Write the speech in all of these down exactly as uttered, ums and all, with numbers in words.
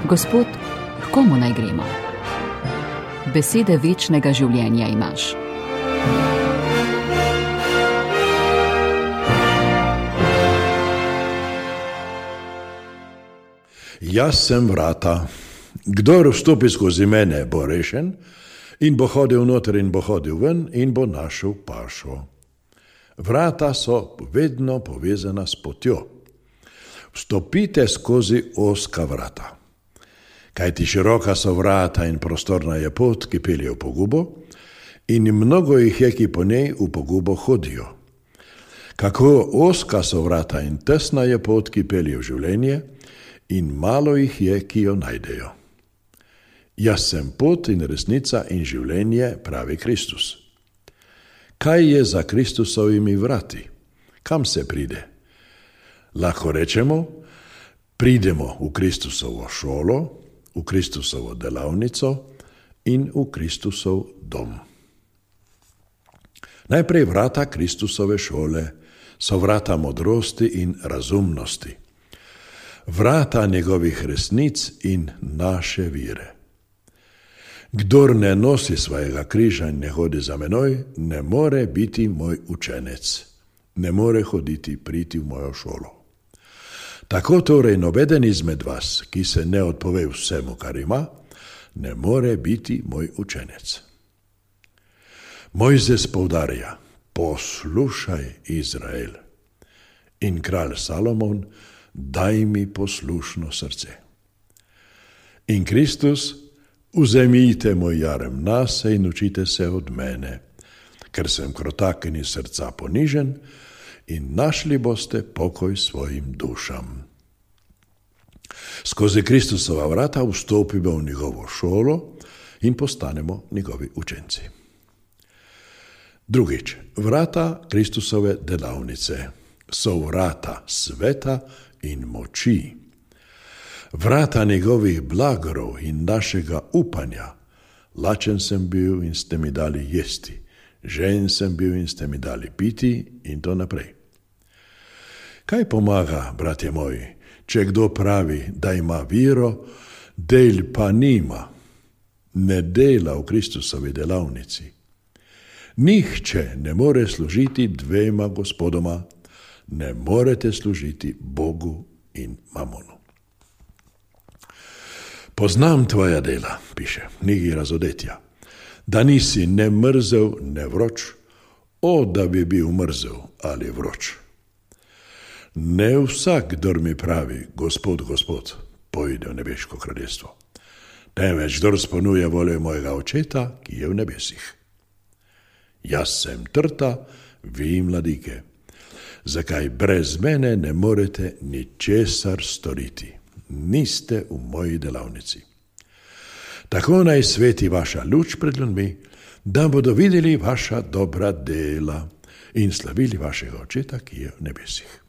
Gospod, k komu naj gremo? Besede večnega življenja imaš. Jaz sem vrata. Kdor vstopi skozi mene, bo rešen in bo hodil noter in bo hodil ven in bo našel pašo. Vrata so vedno povezana s potjo. Vstopite skozi ozka vrata. Kajti široka so vrata in prostorna je pot, ki pelje v pogubo, in mnogo jih je, ki po njej v pogubo hodijo. Kako ozka so vrata in tesna je pot, ki pelje v življenje, in malo jih je, ki jo najdejo. Jaz sem pot in resnica in življenje, pravi Kristus. Kaj je za Kristusovimi vrati? Kam se pride? Lahko rečemo, pridemo v Kristusovo šolo, v Kristusovo delavnico in v Kristusov dom. Najprej vrata Kristusove šole so vrata modrosti in razumnosti. Vrata njegovih resnic in naše vire. Kdor ne nosi svojega križa in ne hodi za menoj, ne more biti moj učenec, ne more hoditi, priti v mojo šolo. Tako torej nobeden izmed vas, ki se ne odpove vsemu, kar ima, ne more biti moj učenec. Mojzes poudarja, poslušaj, Izrael. In kralj Salomon, daj mi poslušno srce. In Kristus, vzemite moj jarem nase in učite se od mene, ker sem krotak in iz srca ponižen, in našli boste pokoj svojim dušam. Skozi Kristusova vrata vstopimo v njegovo šolo in postanemo njegovi učenci. Drugič, vrata Kristusove delavnice so vrata sveta in moči. Vrata njegovih blagorov in našega upanja. Lačen sem bil in ste mi dali jesti, žejen sem bil in ste mi dali piti in to naprej. Kaj pomaga, bratje moji, če kdo pravi, da ima viro, del pa nima, ne dela v Kristusovi delavnici? Nihče ne more služiti dvema gospodoma, ne morete služiti Bogu in mamonu. Poznam tvoja dela, piše v knjigi Razodetja, da nisi ne mrzel, ne vroč, o, da bi bil mrzel ali vroč. Ne vsak, kdor mi pravi, Gospod, Gospod, pojde v nebeško kraljestvo, temveč kdor izpolnjuje voljo mojega Očeta, ki je v nebesih. Jaz sem trta, vi mladike. Zakaj brez mene ne morete ničesar storiti? Niste v moji delavnici. Tako naj sveti vaša luč pred ljudmi, da bodo videli vaša dobra dela in slavili vašega Očeta, ki je v nebesih.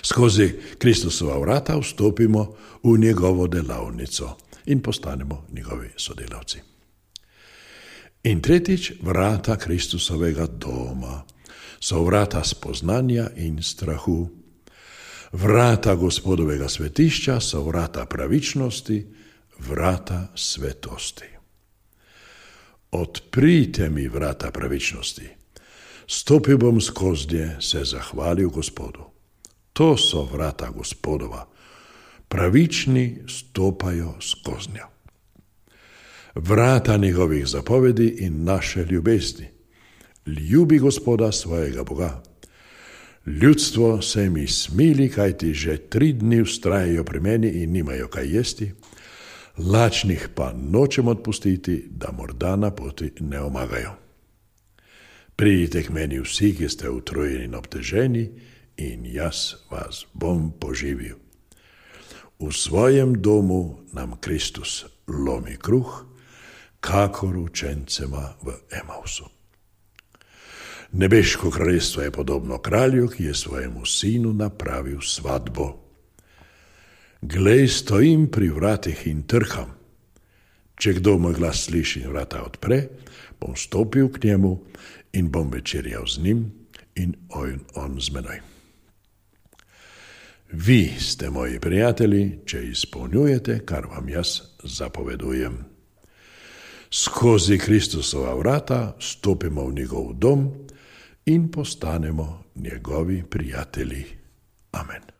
Skozi Kristusova vrata vstopimo v njegovo delavnico in postanemo njegovi sodelavci. In tretjič, vrata Kristusovega doma so vrata spoznanja in strahu. Vrata Gospodovega svetišča so vrata pravičnosti, vrata svetosti. Odprite mi vrata pravičnosti. Stopil bom skoznje, se zahvalil Gospodu. To so vrata Gospodova. Pravični stopajo skoznja. Vrata njegovih zapovedi in naše ljubezni. Ljubi Gospoda svojega Boga. Ljudstvo se mi smili, kajti že tri dni vztrajajo pri meni in nimajo kaj jesti, lačnih pa nočem odpustiti, da morda na poti ne omagajo. Pridite k meni vsi, ki ste utrujeni in obteženi, in jaz vas bom poživil. V svojem domu nam Kristus lomi kruh, kakor učencema v Emausu. Nebeško kraljestvo je podobno kralju, ki je svojemu sinu napravil svatbo. Glej, stojim pri vratih in trkam. Če kdo moj glas sliši in vrata odpre, bom stopil k njemu in bom večerjal z njim in on, on z menoj. Vi ste moji prijatelji, če izpolnjujete, kar vam jaz zapovedujem. Skozi Kristusova vrata stopimo v njegov dom in postanemo njegovi prijatelji. Amen.